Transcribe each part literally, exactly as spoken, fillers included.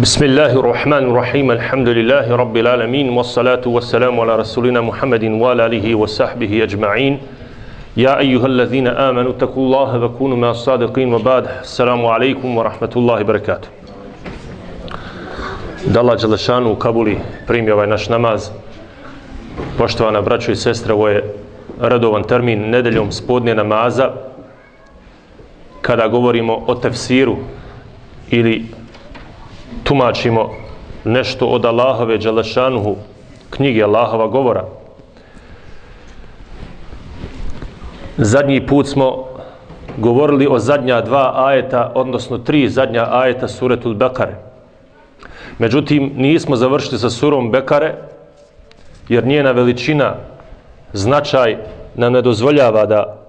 بسم الله الرحمن الرحيم الحمد لله رب العالمين والصلاة والسلام على رسولنا محمد وعلى آله وصحبه أجمعين يا أيها الذين آمنوا اتقوا الله وكونوا مع الصادقين وبعد السلام عليكم ورحمة الله وبركاته. Da Allah Đelešanu u Kabuli primi ovaj naš namaz. Poštovana braćo i sestre, ovo je redovan termin nedeljom spodnje namaza kada govorimo o tefsiru ili tumačimo nešto od Allahove Đelešanuhu knjige Allahova govora. Zadnji put smo govorili o zadnja dva ajeta, odnosno tri zadnja ajeta suretul Bekare. Međutim, nismo završili sa surom Bekare, jer njena veličina, značaj nam ne dozvoljava da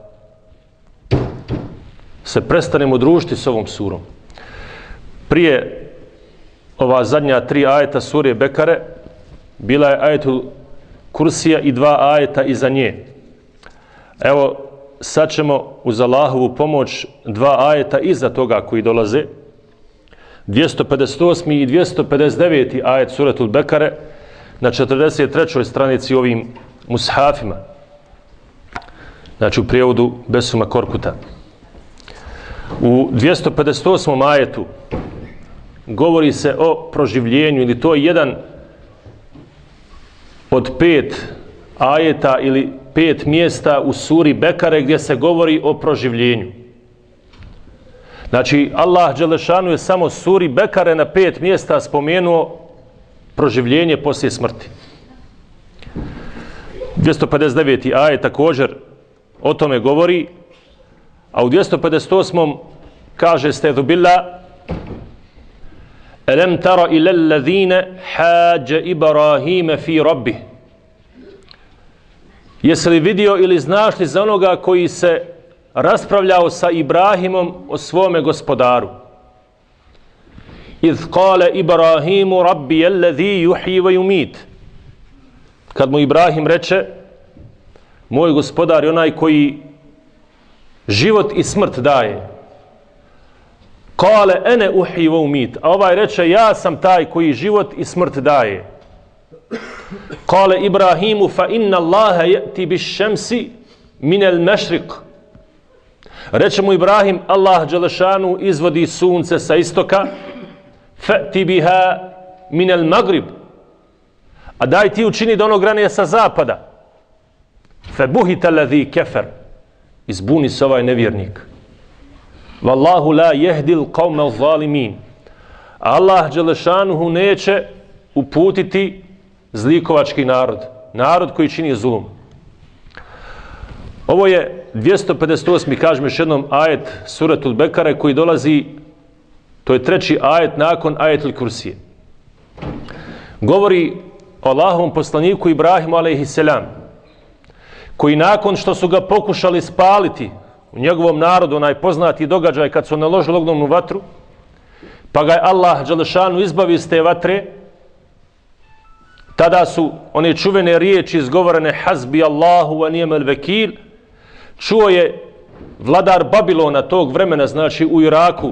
se prestanemo družiti s ovom surom. Prije ova zadnja tri ajeta sure Bekare bila je ajetul Kursija i dva ajeta iza nje. Evo, sad ćemo uz Allahovu pomoć dva ajeta iza toga koji dolaze. dvjesto pedeset osmi i dvjesto pedeset deveti ajet suretul Bekare na četrdeset trećoj stranici ovim mushafima. Znači u prijevodu Besuma Korkuta. U dvjesto pedeset osmom ajetu govori se o proživljenju, ili to je jedan od pet ajeta ili pet mjesta u suri Bekare gdje se govori o proživljenju. Znači, Allah Đelešanu je samo suri Bekare na pet mjesta spomenuo proživljenje poslije smrti. dvjesto pedeset deveti ajet također o tome govori, a u dvjesto pedeset osmom kaže Stedhu billah: Elem tara ila allazine hađe Ibrahime fi rabbih. Jesi li vidio ili znaš li za onoga koji se raspravljao sa Ibrahimom o svome gospodaru? Iz kale Ibrahimu rabbi allazi yuhyi wa yumit. Kad mu Ibrahim reče: moj gospodar je onaj koji život i smrt daje. Kale ene uhyi wa umit. A ovaj reče: ja sam taj koji život i smrt daje. Kale Ibrahimu fa inna Allaha ya'ti bish-shamsi min al-mashriq. Reče mu Ibrahim: Allah Đelešanu izvodi sunce sa istoka, fa'ti biha min al-maghrib. A daj ti učini da ono grane sa zapada. Febuhita alladhi kafar. Izbuni se ovaj nevjernik. Wallahu la yahdi al-qawma adh-dhalimin. Allah Đelešanuhu neće uputiti zlikovački narod, narod koji čini zulum. Ovo je dvjesto pedeset osmi, kažem još jednom, ajet suretul Bekare koji dolazi, to je treći ajet nakon ajetul Kursije. Govori o Allahovom poslaniku Ibrahimu alejhiselam, koji nakon što su ga pokušali spaliti u njegovom narodu, onaj poznati događaj kad su naložili ognjenu vatru, pa ga je Allah Đelešanu izbavi iz te vatre, tada su one čuvene riječi izgovorene: Hasbi Allahu wa ni'mal vekil. Čuo je vladar Babilona tog vremena, znači u Iraku,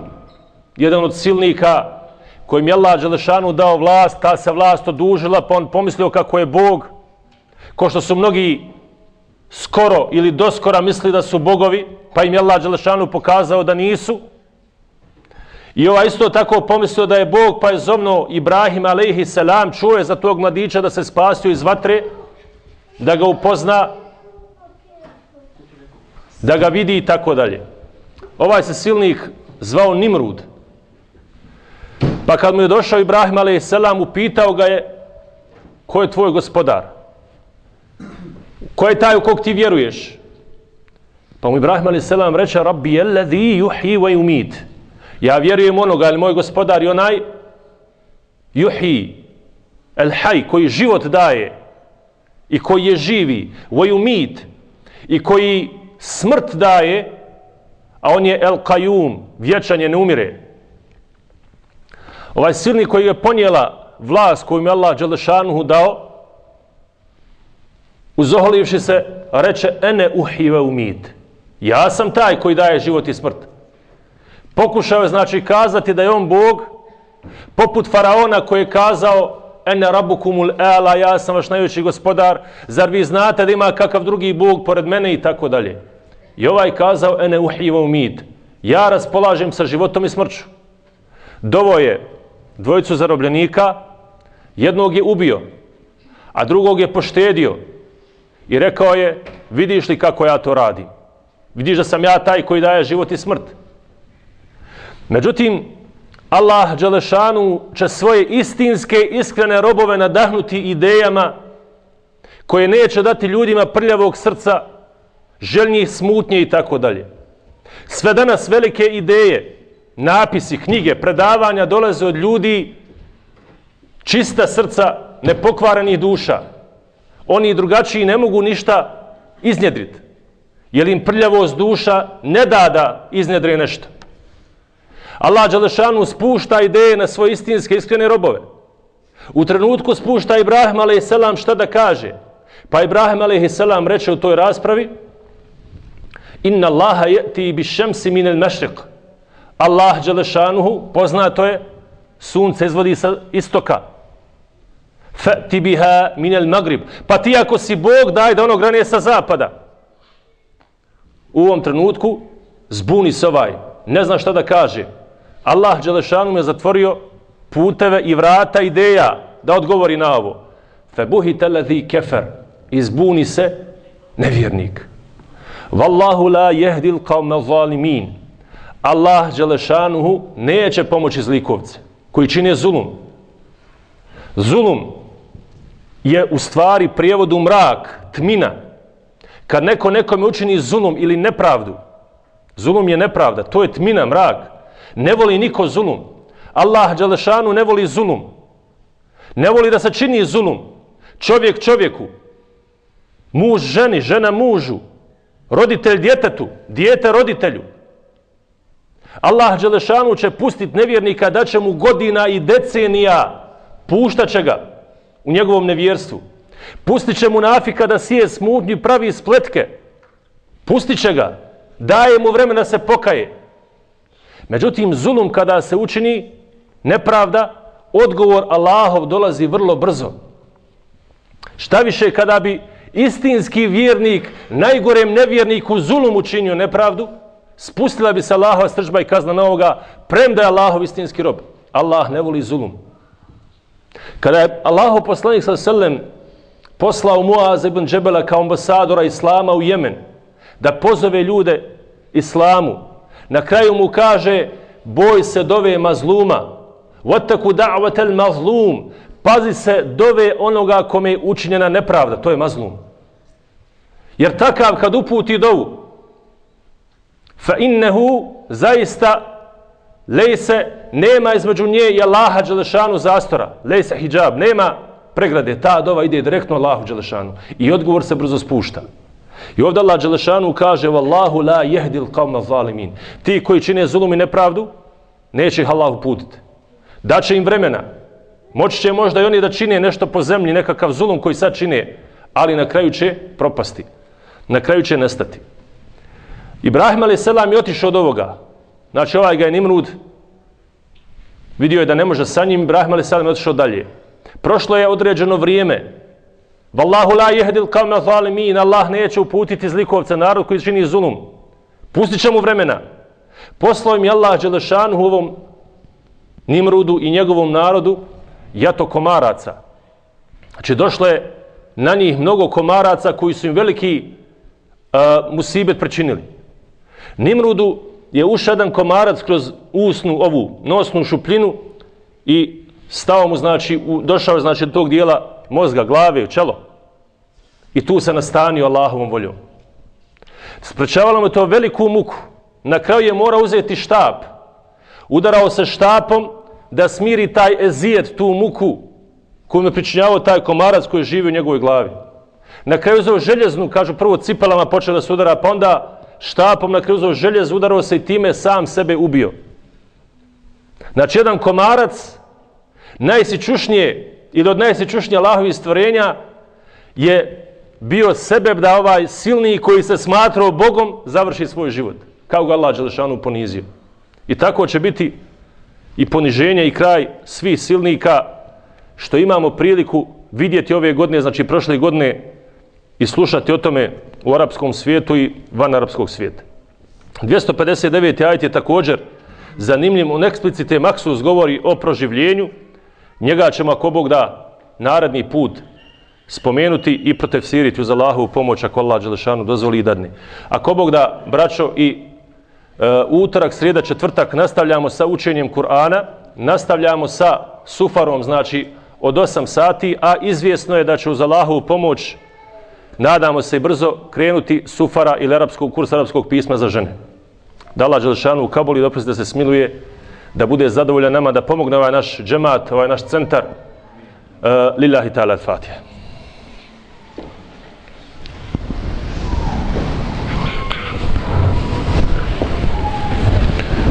jedan od silnika kojim je Allah Đelešanu dao vlast, ta se vlast odužila, pa on pomislio kako je Bog, ko što su mnogi skoro ili doskora misli da su bogovi, pa im je Allah Đelešanu pokazao da nisu. I ovaj isto tako pomislio da je Bog, pa je zovno Ibrahim alejhiselam, čuo je za tog mladića da se spasio iz vatre, da ga upozna, da ga vidi i tako dalje. Ovaj se silnik zvao Nimrud. Pa kad mu je došao Ibrahim alejhiselam, upitao ga je: ko je tvoj gospodar? Ko je taj u kog ti vjeruješ? Pa mu Ibrahim alejhiselam reče: Rabbi allazi yuhyi wa yumit. Ja vjerujem onoga, ali moj gospodar je onaj yuhyi, el haj, koji život daje i koji je živi, wa yumit, i koji smrt daje, a on je el qayyum, vječan je, ne umire. Ovaj silnik koji je ponijela vlast koju mi Allah Đelešanuhu dao, uzoholivši se, reče: ene uhyi wa umit. Ja sam taj koji daje život i smrt. Pokušao je znači kazati da je on Bog, Poput faraona koji je kazao ene rabukumul ela, ja sam vaš najveći gospodar, zar vi znate da ima kakav drugi Bog pored mene i tako dalje. I ovaj kazao ene uhiva umid, ja raspolažem sa životom i smrću. Dovo je dvojicu zarobljenika, jednog je ubio, a drugog je poštedio i rekao je, vidiš li kako ja to radim? Vidiš da sam ja taj koji daje život i smrt. Međutim, Allah dželešanu će svoje istinske, iskrene robove nadahnuti idejama koje neće dati ljudima prljavog srca, željnih smutnje i tako dalje. Sve danas velike ideje, napisi, knjige, predavanja dolaze od ljudi čista srca, nepokvarenih duša. Oni drugačiji ne mogu ništa iznjedriti, jer im prljavost duša ne da da iznjedre nešto. Allah dželešanu spušta ideje na svoje istinske, iskrene robove. U trenutku spušta Ibrahim alejhi selam šta da kaže. Pa Ibrahim alejhi selam reče u toj raspravi: Inna Allaha ya'ti bish-shamsi min al-mashriq. Allah dželešanu, poznato je, sunce izvodi sa istoka. Fa'ti biha min al-maghrib. Pa ti ako si Bog, daj da ono grane sa zapada. U ovom trenutku zbuni se ovaj, ne zna šta da kaže. Allah dželešanu mu je zatvorio puteve i vrata ideja da odgovori na ovo. Febuhita alladhi kefer, izbuni se nevjernik. Wallahu la yahdi al-qawma zalimin. Allah dželešanu neće pomoći zlikovce koji čine zulum. Zulum je u stvari prijevodu mrak, tmina. Kad neko nekome učini zulum ili nepravdu, zulum je nepravda, to je tmina, mrak. Ne voli niko zulum. Allah dželešanu ne voli zulum. Ne voli da se čini zulum. Čovjek čovjeku, muž ženi, žena mužu, roditelj djetetu, dijete roditelju. Allah dželešanu će pustiti nevjernika, da će mu godina i decenija, puštat će ga u njegovom nevjerstvu. Pustit će mu nafika da sije smutnju i pravi spletke. Pustit će ga, daje mu vremena da se pokaje. Međutim, zulum kada se učini, nepravda, odgovor Allahov dolazi vrlo brzo. Šta više, kada bi istinski vjernik, najgorem nevjerniku zulum učinio nepravdu, spustila bi se Allahova srdžba i kazna na ovoga, premda je Allahov istinski rob. Allah ne voli zulum. Kada je Allahov poslanik sallallahu alejhi ve sellem poslao Muaza ibn Džebela kao ambasadora Islama u Jemen, da pozove ljude Islamu, na kraju mu kaže, boj se dove mazluma, wattaku da'watal mazlum, pazi se dove onoga kome je učinjena nepravda, to je mazlum. Jer takav kad uputi dovu, fa innehu, zaista, lejse, nema između nje i Allaha dželešanu zastora, lejse hijab, nema pregrade, ta dova ide direktno Allahu dželešanu i odgovor se brzo spušta. I ovdje Allah dželešanu kaže, Wallahu la yahdi al-qawma zalimin. Ti koji čine zulum i nepravdu, neće ih Allah uputiti. Daće im vremena. Moći će možda i oni da čine nešto po zemlji, nekakav zulum koji sad čine, ali na kraju će propasti. Na kraju će nestati. Ibrahim alejhi selam je otišao od ovoga. Znači ovaj ga je Nimrud vidio je da ne može sa njim, Ibrahim alejhi selam je otišao dalje. Prošlo je određeno vrijeme. Wallahu la yahdi al-qawma zalimin. Allah neće uputiti zlikovce, narod koji čini zulum. Pustit će mu vremena. Poslao im je Allah dželešanu ovom Nimrudu i njegovom narodu jato komaraca. Znači došlo je na njih mnogo komaraca koji su im veliki uh, musibet pričinili. Nimrudu je ušao jedan komarac kroz usnu ovu nosnu šupljinu i stao mu, znači, u, došao znači do tog dijela mozga, glave, u čelo. I tu se nastanio Allahovom voljom. Sprečavalo mu to veliku muku. Na kraju je morao uzeti štap. Udarao se štapom da smiri taj ezijet, tu muku koju mu je pričinjavao taj komarac koji živi u njegovoj glavi. Na kraju uzeo željeznu, kažu prvo cipelama počeo da se udara, pa onda štapom na kraju uzeo željezu, udarao se i time sam sebe ubio. Znači jedan komarac najsičušnije ili od najsičušnije Allahovih stvorenja je bio sebeb da ovaj silni koji se smatrao Bogom završi svoj život. Kao ga Allah dželešanu ponizio. I tako će biti i poniženja i kraj svih silnika što imamo priliku vidjeti ove godine, znači prošle godine, i slušati o tome u arapskom svijetu i van arapskog svijeta. dvjesto pedeset deveti ajet je također zanimljiv, on eksplicite maksus govori o proživljenju. Njega ćemo, ako Bog da, naredni put spomenuti i protefsiriti uz Allahovu pomoć, ako Allah dželešanu dozvoli i dadne. Ako Bog da, braćo, i e, utorak, srijeda, četvrtak nastavljamo sa učenjem Kur'ana, nastavljamo sa sufarom, znači od osam sati, a izvjesno je da će uz Allahovu pomoć, nadamo se, brzo krenuti sufara ili arapskog kursa arapskog pisma za žene. Da Allah dželešanu u Kabuli dopusti da se smiluje, da bude zadovoljan nama, da pomogne ovaj naš džemat, ovaj naš centar. Uh, lillahi ta'ala al-Fatiha.